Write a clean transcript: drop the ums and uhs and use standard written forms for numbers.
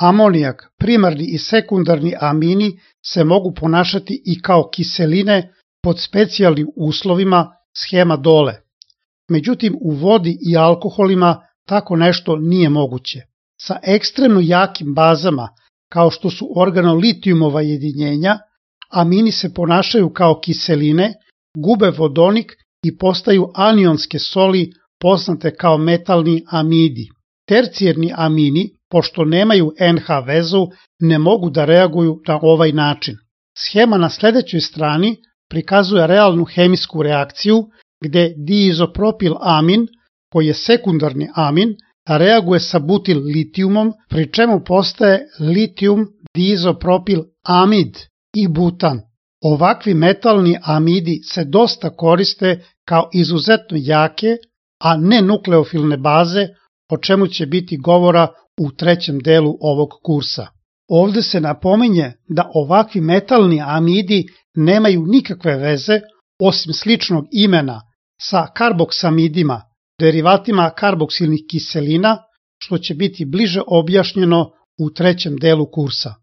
Amonijak, primarni i sekundarni amini se mogu ponašati i kao kiseline pod specijalnim uslovima, schema dole. Međutim, u vodi i alkoholima tako nešto nije moguće. Sa ekstremno jakim bazama, kao što su organolitijumova jedinjenja, amini se ponašaju kao kiseline, gube vodonik i postaju anionske soli poznate kao metalni amidi. Tercijerni amini, pošto nemaju NH vezu, ne mogu da reaguju na ovaj način. Schema na sledećoj strani prikazuje realnu hemijsku reakciju gde diizopropil amin, koji je sekundarni amin, reaguje sa butil litijumom, pri čemu postaje litijum diizopropil amid i butan. Ovakvi metalni amidi se dosta koriste kao izuzetno jake, a ne nukleofilne baze, o čemu će biti govora u trećem delu ovog kursa. Ovde se napominje da ovakvi metalni amidi nemaju nikakve veze, osim sličnog imena, sa karboksamidima, derivatima karboksilnih kiselina, što će biti bliže objašnjeno u trećem delu kursa.